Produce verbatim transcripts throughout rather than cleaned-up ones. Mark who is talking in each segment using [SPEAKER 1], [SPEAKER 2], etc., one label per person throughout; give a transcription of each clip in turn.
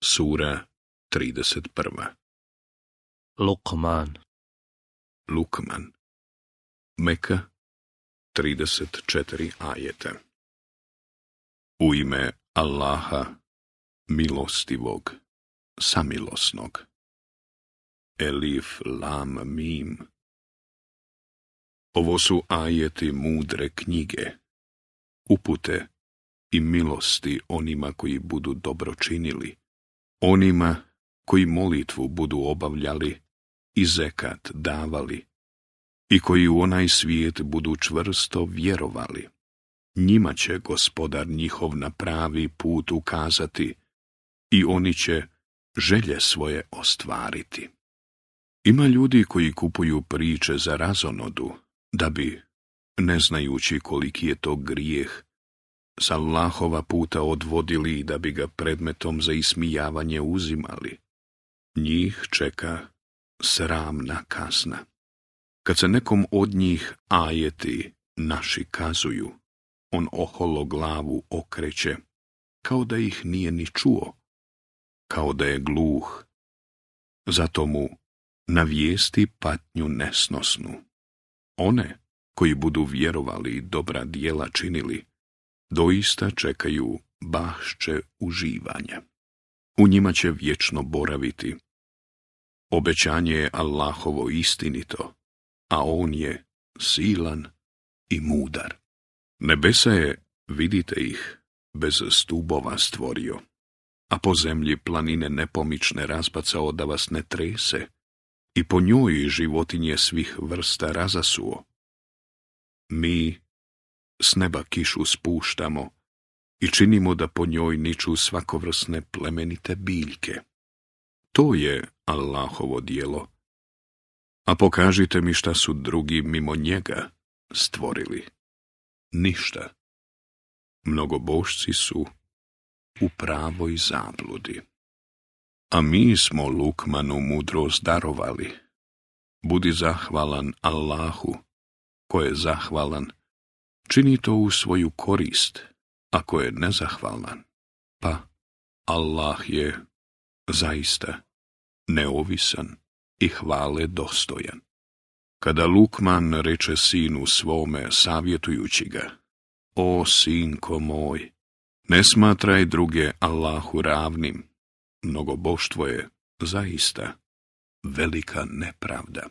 [SPEAKER 1] Sura trideset prva.
[SPEAKER 2] Luqman.
[SPEAKER 1] Lukman. Meka, trideset četiri ajeta. U ime Allaha, milostivog, samilosnog. Elif, lam, mim. Ovo su ajeti mudre knjige, upute i milosti onima koji budu dobro činili, onima koji molitvu budu obavljali i zekat davali i koji u onaj svijet budu čvrsto vjerovali. Njima će Gospodar njihov na pravi put ukazati i oni će želje svoje ostvariti. Ima ljudi koji kupuju priče za razonodu, da bi, ne znajući koliki je to grijeh, s Allahova puta odvodili i da bi ga predmetom za ismijavanje uzimali. Njih čeka sramna kazna. Kad se nekom od njih ajeti naši kazuju, on oholo glavu okreće, kao da ih nije ni čuo, kao da je gluh. Zato mu navijesti patnju nesnosnu. One koji budu vjerovali i dobra djela činili, doista čekaju bašče uživanja. U njima će vječno boraviti. Obećanje je Allahovo istinito, a on je silan i mudar. Nebesa je, vidite ih, bez stubova stvorio, a po zemlji planine nepomične razbacao da vas ne trese, i po njoj životinje svih vrsta razasuo. Mi s neba kišu spuštamo i činimo da po njoj niču svakovrsne plemenite biljke. To je Allahovo djelo. A pokažite mi šta su drugi mimo njega stvorili. Ništa. Mnogobošci su u pravoj zabludi. A mi smo Lukmanu mudrost darovali. Budi zahvalan Allahu, ko je zahvalan, čini to u svoju korist, ako je nezahvalan, pa Allah je zaista neovisan i hvale dostojan. Kada Lukman reče sinu svome savjetujući ga, o sinko moj, ne smatraj druge Allahu ravnim, mnogoboštvo je zaista velika nepravda.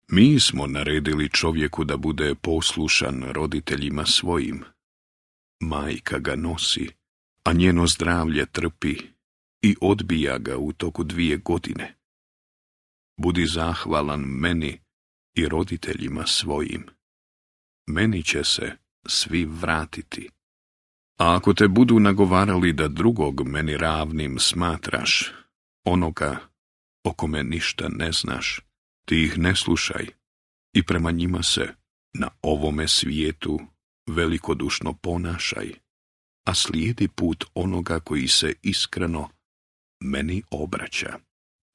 [SPEAKER 1] Mi smo naredili čovjeku da bude poslušan roditeljima svojim. Majka ga nosi, a njeno zdravlje trpi i odbija ga u toku dvije godine. Budi zahvalan meni i roditeljima svojim. Meni će se svi vratiti. A ako te budu nagovarali da drugog meni ravnim smatraš, onoga o kome ništa ne znaš, ti ih ne slušaj i prema njima se na ovome svijetu velikodušno ponašaj, a slijedi put onoga koji se iskreno meni obraća.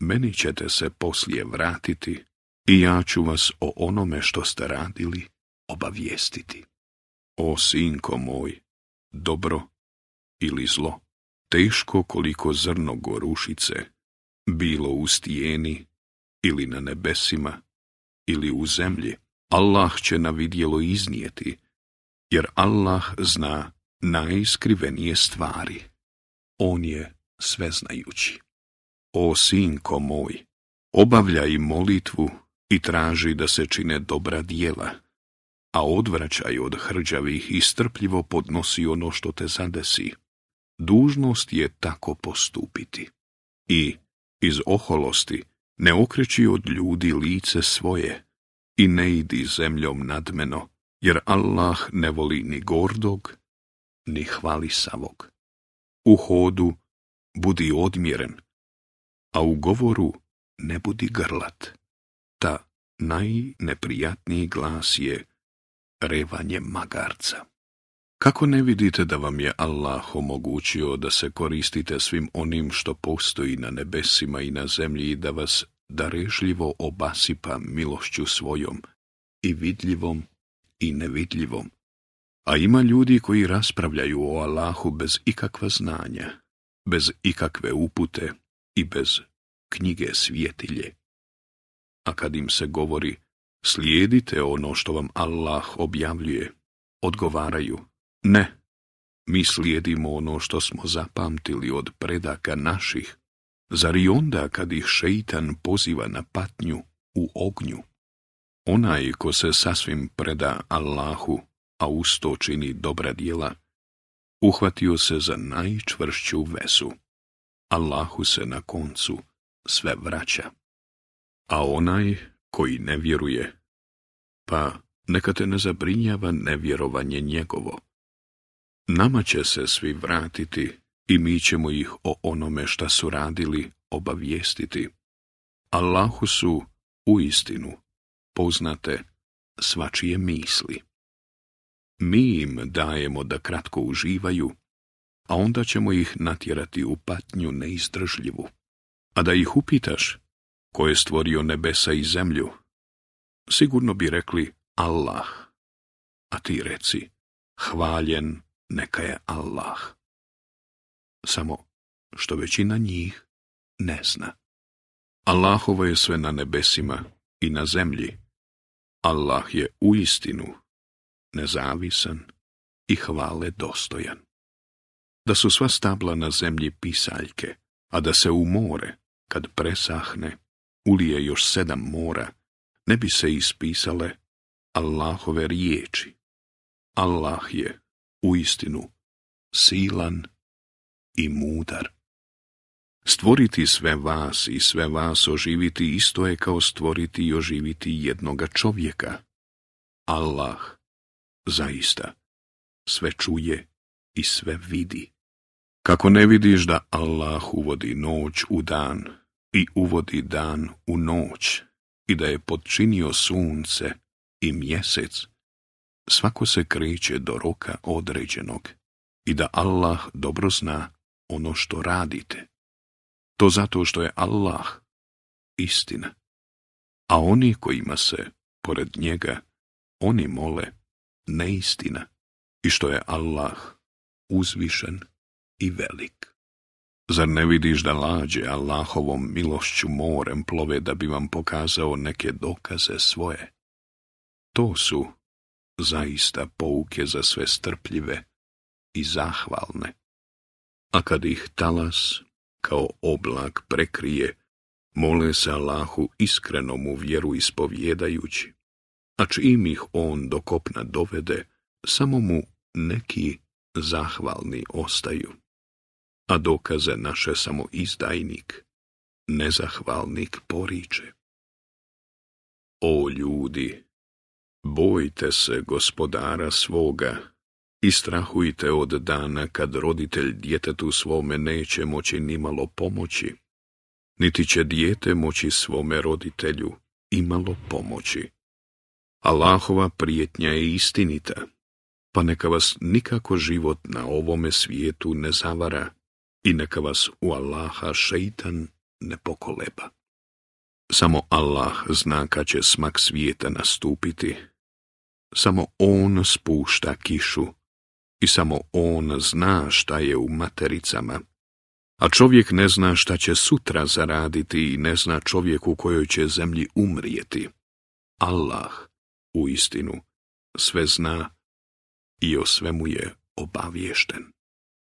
[SPEAKER 1] Meni ćete se poslije vratiti i ja ću vas o onome što ste radili obavijestiti. O sinko moj, dobro ili zlo, teško koliko zrno gorušice, bilo u stijeni ili na nebesima ili u zemlji, Allah će na vidjelo iznijeti, jer Allah zna najiskrivenije stvari. On je sveznajući. O sinko moj, obavljaj molitvu i traži da se čine dobra djela, a odvraćaj od hrđavih i strpljivo podnosi ono što te zadesi. Dužnost je tako postupiti. I iz oholosti ne okreći od ljudi lice svoje i ne idi zemljom nadmeno, jer Allah ne voli ni gordog, ni hvalisavog. U hodu budi odmjeren, a u govoru ne budi grlat. Ta najneprijatniji glas je revanje magarca. Kako ne vidite da vam je Allah omogućio da se koristite svim onim što postoji na nebesima i na zemlji i da vas darežljivo obasipa milošću svojom, i vidljivom i nevidljivom? A ima ljudi koji raspravljaju o Allahu bez ikakva znanja bez ikakve upute i bez knjige svjetilje. A kad im se govori, slijedite ono što vam Allah objavljuje, odgovaraju, ne, mi slijedimo ono što smo zapamtili od predaka naših, zar i onda kad ih šeitan poziva na patnju u ognju? Onaj ko se sasvim preda Allahu, a usto čini dobra djela, uhvatio se za najčvršću vezu. Allahu se na koncu sve vraća. A onaj koji ne vjeruje, pa neka te ne zabrinjava nevjerovanje njegovo. Nama će se svi vratiti i mi ćemo ih o onome šta su radili obavijestiti. Allahu su uistinu poznate svačije misli. Mi im dajemo da kratko uživaju, a onda ćemo ih natjerati u patnju neizdržljivu. A da ih upitaš, ko je stvorio nebesa i zemlju, sigurno bi rekli Allah, a ti reci, hvaljen neka je Allah. Samo što većina njih ne zna. Allahovo je sve na nebesima i na zemlji. Allah je uistinu nezavisan i hvale dostojan. Da su sva stabla na zemlji pisaljke, a da se u more, kad presahne, ulije još sedam mora, ne bi se ispisale Allahove riječi. Allah je uistinu silan i mudar. Stvoriti sve vas i sve vas oživiti isto je kao stvoriti i oživiti jednoga čovjeka. Allah zaista sve čuje i sve vidi. Kako ne vidiš da Allah uvodi noć u dan i uvodi dan u noć i da je podčinio sunce i mjesec, svako se kreće do roka određenog i da Allah dobro zna ono što radite. To zato što je Allah istina, a oni kojima se, pored njega, oni mole neistina i što je Allah uzvišen i velik. Zar ne vidiš da lađe Allahovom milošću morem plove da bi vam pokazao neke dokaze svoje? To su zaista pouke za sve strpljive i zahvalne. A kad ih talas kao oblak prekrije, mole se Allahu iskreno mu vjeru ispovjedajući, a čim ih on do kopna dovede, samo mu neki zahvalni ostaju. A dokaze naše samo izdajnik, nezahvalnik poriče. O ljudi, bojte se gospodara svoga i strahujte od dana kad roditelj djetetu svome neće moći nimalo pomoći, niti će dijete moći svome roditelju imalo pomoći. Allahova prijetnja je istinita, pa neka vas nikako život na ovome svijetu ne zavara i neka vas u Allaha šeitan ne pokoleba. Samo Allah zna kad će smak svijeta nastupiti. Samo On spušta kišu i samo On zna šta je u matericama. A čovjek ne zna šta će sutra zaraditi i ne zna čovjek u kojoj će zemlji umrijeti. Allah uistinu sve zna i o svemu je obaviješten.